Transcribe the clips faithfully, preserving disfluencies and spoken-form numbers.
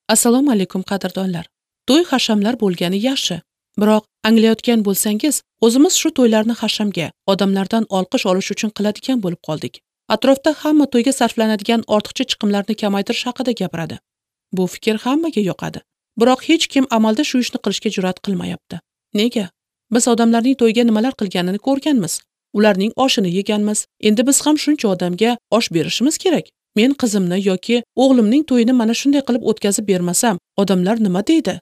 Assalomu alaykum qadrdonlar. To'y hashamlar bo'lgani yaxshi. Biroq anglayotgan bo'lsangiz, o'zimiz shu to'ylarni hashamga, odamlardan olqish olish uchun qiladigan bo'lib qoldik. Atrofda hamma to'yga sarflanadigan ortiqcha chiqimlarni kamaytirish haqida gapiradi. Bu fikr hammaga yoqadi. Biroq hech kim amalda shu ishni qilishga jur'at qilmayapti. Nega? Biz odamlarning to'yga nimalar qilganini ko'rganmiz. Ularning oshini yeganmiz. Endi biz ham shuncha odamga osh berishimiz kerak. Men qizimni yoki o'g'limning to'yini mana shunday qilib o'tkazib bermasam, odamlar nima deydi?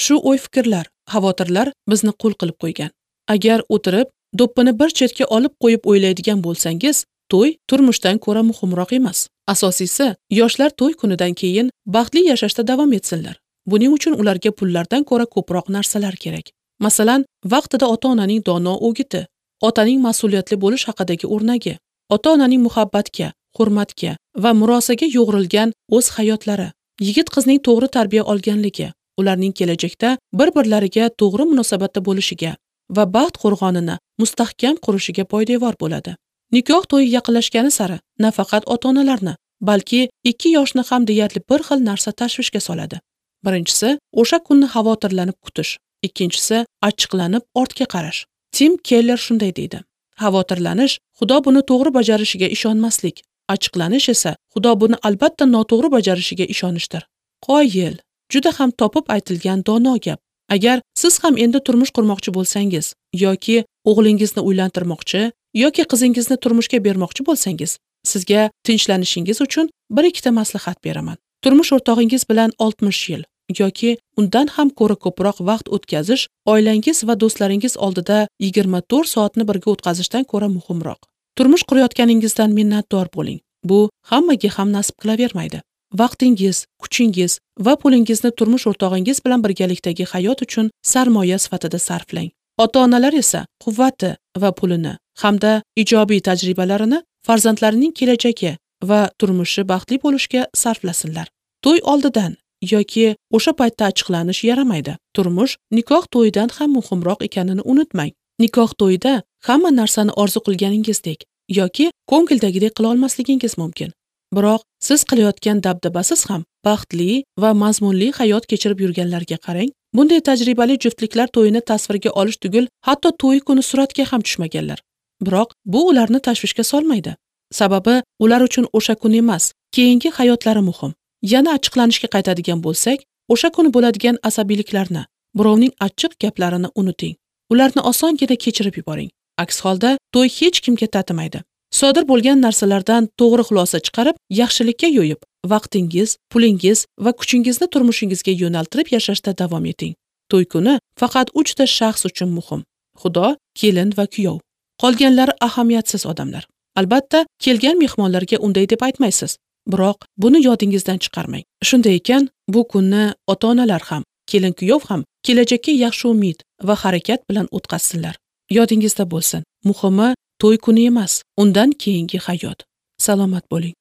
Shu o'y-fikrlar, xavotirlar bizni qul qilib qo'ygan. Agar o'tirib, do'ppini bir chetga olib qo'yib o'ylaydigan bo'lsangiz, to'y turmushdan ko'ra muhimroq emas. Asosiysi, yoshlar to'y kunidan keyin baxtli yashashda davom etsinlar. Buning uchun ularga pullardan ko'ra ko'proq narsalar kerak. Masalan, vaqtida ota-onaning dono o'giti, otaning mas'uliyatli bo'lish haqidagi o'rnagi, ota-onaning muhabbatga, hurmatga va murosaga yo'g'rilgan o'z hayotlari, yigit qizning to'g'ri tarbiya olganligi, ularning kelajakda bir-birlariga to'g'ri munosabatda bo'lishiga va baxt qo'rg'onini mustahkam qurishiga poydevor bo'ladi. Nikoh to'yi yaqinlashgani sari nafaqat ota-onalarni, balki ikki yoshni ham deyarli bir xil narsa tashvishga soladi. Birinchisi, o'sha kunni xavotirlanib kutish. Ikkinchisi, achchiqlanib ortga qarash. Tim Keller shunday deydi: xavotirlanish Xudo buni to'g'ri bajarishiga ishonmaslik, achchiqlanish esa Xudo buni albatta noto'g'ri bajarishiga ishonishdir. Qoyil, juda ham topib aytilgan dono gap. Agar siz ham endi turmush qurmoqchi bo'lsangiz yoki o'g'lingizni uylantirmoqchi yoki qizingizni turmushga bermoqchi bo'lsangiz, sizga tinchlanishingiz uchun bir ikkita maslahat beraman. Turmush o'rtog'ingiz bilan oltmish yil yoki undan ham ko'ra ko'proq vaqt o'tkazish oilangiz va do'stlaringiz oldida yigirma to'rt soatni birga o'tkazishdan ko'ra muhimroq. Turmush qurayotganingizdan minnatdor bo'ling. Bu hammaga ham nasib qilavermaydi. Vaqtingiz, kuchingiz va pulingizni turmush o'rtog'ingiz bilan birgalikdagi hayot uchun sarmoya sifatida sarflang. Ota-onalar esa quvvati va pulini hamda ijobiy tajribalarini farzandlarining kelajagi va turmushi baxtli bo'lishiga sarflasinlar. To'y oldidan yoki o'sha paytda achchiqlanish yaramaydi. Turmush nikoh to'yidan ham muhimroq ekanini unutmang. Nikoh to'yida hamma narsani orzu qilganingizdek yoki ko'ngildagidek qila olmasligingiz mumkin. Biroq siz qilayotgan dabdabasiz ham baxtli va mazmunli hayot kechirib yurganlarga qarang. Bunday tajribali juftliklar to'yini tasvirga olish tugul, hatto to'y kuni suratga ham tushmaganlar. Biroq bu ularni tashvishga solmaydi. Sababi ular uchun o'sha kun emas, keyingi hayotlari muhim. Yana achchiqlanishga qaytadigan bo'lsak, o'sha kuni bo'ladigan asabiyliklarni, birovning achchiq gaplarini unuting. Ularni osongina kechirib yuboring. Aks holda to'y hech kimga tatimaydi. Sodir bo'lgan narsalardan to'g'ri xulosa chiqarib, yaxshilikka yo'yib, vaqtingiz, pulingiz va kuchingizni turmushingizga yo'naltirib yashashda davom eting. To'y kuni faqat uchta shaxs uchun muhim: Xudo, kelin va kuyov. Qolganlari ahamiyatsiz odamlar. Albatta, kelgan mehmonlarga unday deb aytmaysiz. Biroq buni yodingizdan chiqarmang. Shunday ekan, bu kunni ota-onalar ham, kelin-kuyov ham kelajakka yaxshi umid va harakat bilan o'tkazsinlar. Yodingizda bo'lsin, muhimi to'y kuni emas, undan keyingi hayot. Salomat bo'ling.